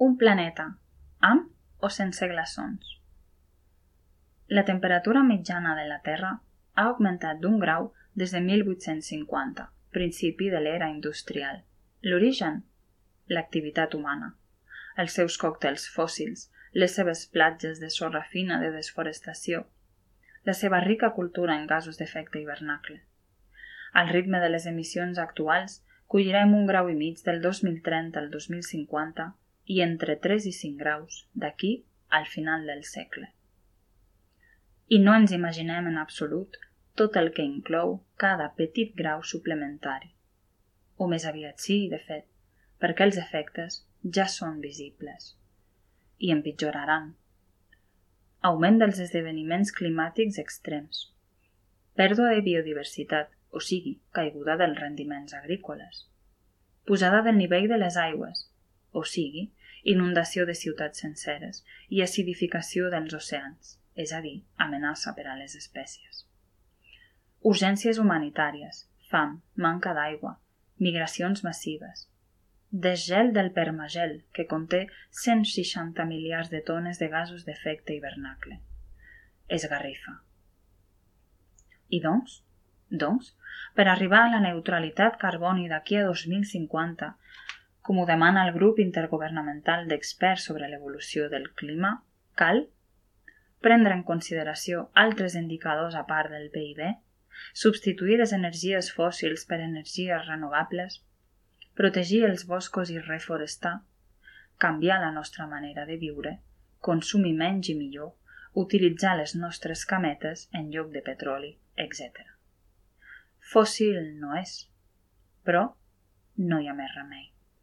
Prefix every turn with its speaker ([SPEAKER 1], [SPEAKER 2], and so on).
[SPEAKER 1] Un planeta, amb o sense glaçons. La temperatura mitjana de la Terra ha augmentat d'1 grau des de 1850, principi de l'era industrial. L'origen? L'activitat humana. Els seus còctels fòssils, les seves platges de sorra fina de desforestació, la seva rica cultura en gasos d'efecte hivernacle. Al ritme de les emissions actuals, collirem 1,5 graus del 2030 al 2050 i entre 3 i 5 graus d'aquí al final del segle. I no ens imaginem en absolut tot el que inclou cada petit grau suplementari. O més aviat sí, de fet, perquè els efectes ja són visibles. I empitjoraran. Augment dels esdeveniments climàtics extrems. Pèrdua de biodiversitat, o sigui, caiguda dels rendiments agrícoles. Pujada del nivell de les aigües, o sigui, inundació de ciutats senceres i acidificació dels oceans, és a dir, amenaça per a les espècies. Urgències humanitàries, fam, manca d'aigua, migracions massives. Desgel del permagel, que conté 160 miliards de tones de gasos d'efecte hivernacle. Esgarrifa. I doncs, per arribar a la neutralitat carboni d'aquí a 2050, com ho demana el grup intergovernamental d'experts sobre l'evolució del clima, cal prendre en consideració altres indicadors a part del PIB, substituir les energies fòssils per energies renovables, protegir els boscos i reforestar, canviar la nostra manera de viure, consumir menys i millor, utilitzar les nostres cametes en lloc de petroli, etc. Fòssil no és, però no hi ha més remei.